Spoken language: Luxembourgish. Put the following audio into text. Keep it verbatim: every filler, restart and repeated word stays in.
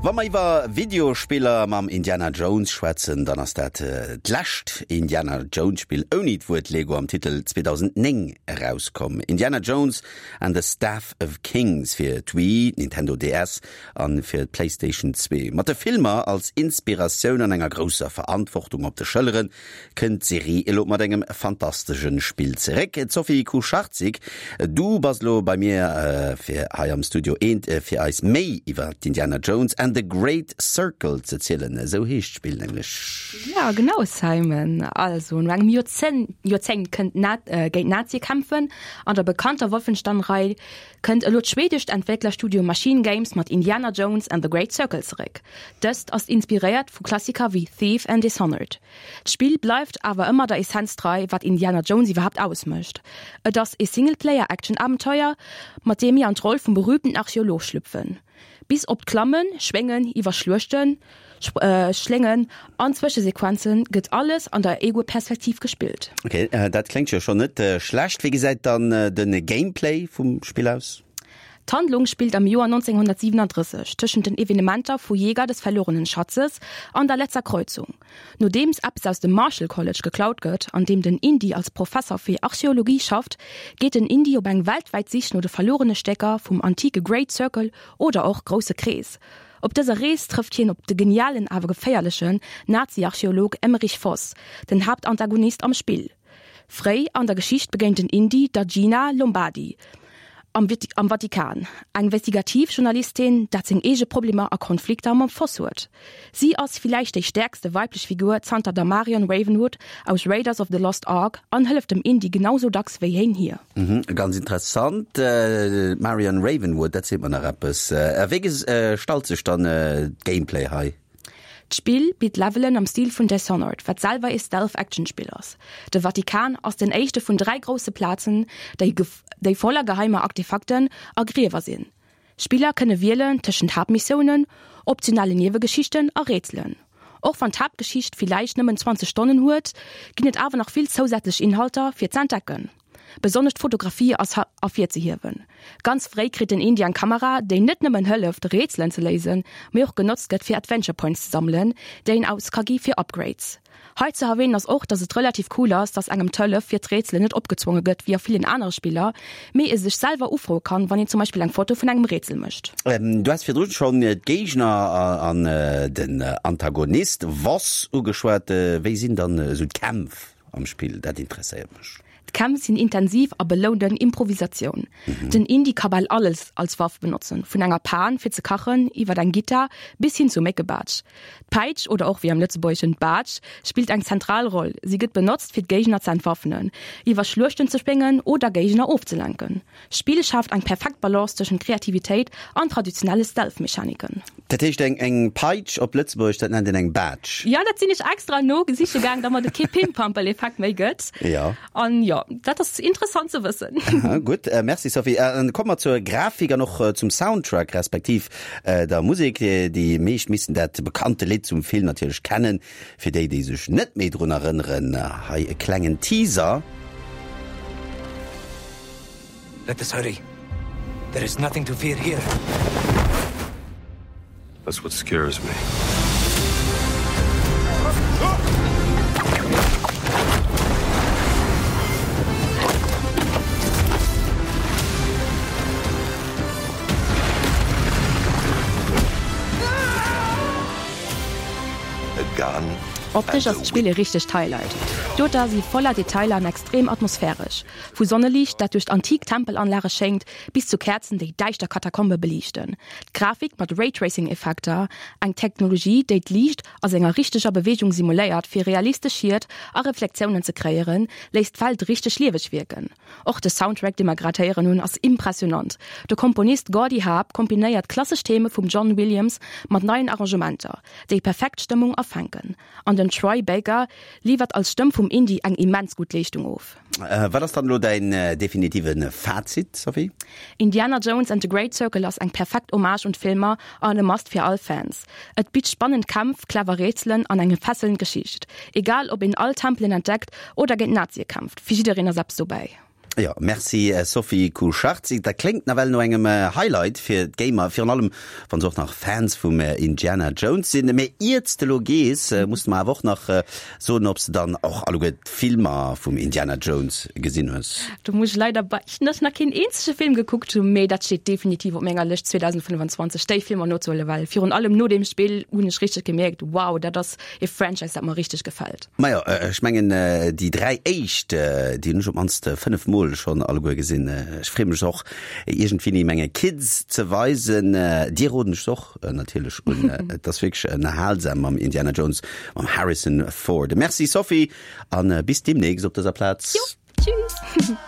Wa mer iwwer Videospiller mam Indiana Jones schwätzen, dann ass dat d'lescht Indiana Jones Spill ouni d'Wuert Lego am Titel zweedausendnéng erauskomm. Indiana Jones and the Staff of Kings fir d'Wii, Nintendo D S an fir d'PlayStation zwee. Mat de Filmer als Inspiratioun an enger grousser Verantwortung op de Schëlleren kënnt d'Serie elo mat engem fantastesche Spill zeréck. D'Sophie Kucharczyk, du bass elo bei mir fir hei am Studio eent fir eis méi iwwer d'Indiana Jones and the Great Circle ze zielen. Esou heescht d'Spill nämlech. Ja, genau, Simon. Also, no engem Joerzéngt, Joerzéngt kënnt Na äh, géint Nazie kämpfen an der bekannter Wolfenstein-Rei kënnt elo d'schwedescht Entwécklerstudio Machine Games mat Indiana Jones and the Great Circle zeréck. Dëst ass inspiréiert vu Klassiker wéi Thief an Dishonored. D'Spill bleift awer ëmmer der Essenz trei, wat Indiana Jones iwwerhaapt ausmécht. Et ass e Singleplayer-Action-Abenteuer, mat deem mir an d'Roll vum berüümten Archeolog schlüpfen. Bis op d'Klammen, Schwéngen, iwwer Schluechten, Schléngen an Zwëschesequenzen gëtt alles an der Ego-Perspektiv gespillt. Ok, dat kléngt jo schonn net schlecht. Wéi gesäit dann de Gameplay vum Spill aus? D'Handlung spillt am Joer nonzénghonnertsiwenandrësseg, tëschent den Evenementer vu Jäger des verlorenen Schatzes an der letzter Kreuzung. Nodeems eppes aus dem Marshall College geklaut gëtt, an deem den Indy als Professer fir Archeologie schafft, geet den Indy op eng weltwäit Sich no de verluerene Stécker vum antike Great Circle oder och Grousse Krees. Op dëser Rees trëfft hien op de genialen awer geféierlechen Nazi-Archeolog Emmerich Voss, den Haaptantagonist am Spill. Fréi an der Geschicht begéint den Indy der Gina Lombardi am am Vatikan, eng Investigativjournalistin, dat seng eege Problemer a Konflikter mam Voss huet. Si ass villäicht déi stäerkste weiblech Figur zanter der Marion Ravenwood aus Raiders of the Lost Ark an hëlleft dem Indy genau sou dacks wéi hien hir. Mhm, ganz interessant. Marion Ravenwood, dat seet mer nach eppes. A wéi gestalt sech dann d'Gameplay hei? D'Spill bitt Levelen am Stil vun Dishonored, wat selwer ee Stealth-Action-Spill ass. De Vatikan ass den éischte vun dräi grousse Plazen, déi déi voller geheimer Artefakten a Griewer sinn. Spiller kënne wielen tëschent Haaptmissiounen, optionalen Niewegeschichten a Rätselen. Och wann d'Haaptgeschicht villäicht nëmmen zwanzeg Stonnen huet, ginn et awer nach vill zousätzlech Inhalter fir z'entdecken. Besonnesch d'Fotografie ass ervirzehiewen. Ganz fréi kritt den Indy eng Kamera, déi net nëmmen hëlleft, Rätselen ze léisen, mee och genotzt gëtt fir Adventure Points ze sammelen, déi een aus ka gi fir Upgrades. Hei ze erwänen ass och, dass et relativ cool ass, dass engem d'Hëllef fir d'Rätselen net opgezwonge gëtt wéi a villen anere Spiller, mee ee sech selwer ufroe kann, wann een zum Beispill eng Foto vun engem Rätsel mécht. Du has virdrun schonn d'Géigner an den Antagonist Voss ugeschwat. Wéi sinn dann esou d'Kämpf am Spill? Dat interesséiert mech. D'Kämpf sinn intensiv a belounen Improvisatioun. Den Indy ka bal alles als Waff benotzen, vun enger Pan fir ze kachen, iwwer eng Gittar bis hin zur Méckebaatsch. D'Peitsch, oder och wéi am Lëtzebuergeschen d'Baatsch, spillt eng zentral Roll. Si gëtt benotzt fir d'Géigner ze entwaffnen, iwwer Schluechten ze spéngen oder Géigner ofzelenken. D'Spill schaaft eng perfekt Balance tëschent Kreativitéit an traditionelle Stealth-Mechaniken. Dat heescht eng eng Peitsch op Lëtzebuergesch, dat nennt een eng Baatsch? Jo, dat sinn ech extra no siche gaang, domat et kee Pimpampel-Effekt méi gëtt. Jo. An jo, dat ass interessant ze wëssen. Gutt, merci Sophie. An komme mer zur Grafik an och zum Soundtrack, respektiv der Musek. Déi meescht missten dat bekannte Lidd zum Film natierlech kennen. Fir déi, déi sech net méi drun erënneren, hei e klengen Teaser. Let us hurry. There is nothing to fear here. That's what scares me. Optesch ass d'Spill e richtegt Highlight. D'Doter si voller Detailer an extrem atmosphäresch. Vu Sonneliicht, dat duerch d'antik Tempelanlage schéngt, bis zu Käerzen, déi däischter Katakombe beliichten. D'Grafik mat Raytracing-Effekter, eng Technologie, déi d'Liicht a senger richteger Beweegung simuléiert, fir realistesch Schied a Reflektiounen ze kreéieren, léisst d'Welt richteg lieweg wierken. Och de Soundtrack, dee mer grad héieren hunn, ass impressionant. De Komponist Gordy Haab kombinéiert klassesch Theme vum John Williams mat neien Arrangementer, déi perfekt d'Stëmmung afänken. An den Troy Baker liwwert als Stëmm vum Indy eng immens gutt Leeschtung of. Wat ass dann elo däin definitive Fazit, Sophie? Indiana Jones and the Great Circle ass eng perfekt Hommage un d'Filmer an e Must fir all Fans. Et bitt spannend Kämpf, clever Rätselen an eng fesselnd Geschicht. Egal ob een all Tempelen entdeckt oder géint Nazie kämpft, fir jiddereen ass eppes dobäi. Ja, merci äh, Sophie Kucharczyk. Dat kléngt nawell no engem äh, Highlight fir d'Gamer, virun allem wann se och nach Fans vum äh, Indiana Jones sinn. Mee ier s de lo gees, äh, muss de mer awer och nach äh, soen, ob s de dann och alleguer d'Filmer vum Indiana Jones gesinn hues. Do muss ech leider beichten, dass ech nach keen eenzege Film gekuckt hunn, mee dat steet definitiv op menger Lëscht zweedausendfënnefenzwanzeg déi Filmer nozehuelen, well virun allem no deem Spill hunn ech richteg gemierkt, wow, dat ass e Franchise, dat mer richteg gefält. Majo, ech mengen déi dräi éischt, déi hunn ech op d'mannst fënnef Mol schonn alleguer gesinn. Ech freeë mech och iergendwéini menge Kids ze weisen. Dir roden ech se och natierlech un. Et ass wierklech ënnerhalsam mam Indiana Jones, mam Harrison Ford. Merci Sophie, a bis deemnächst op dëser Plaz. Jo, tschüss!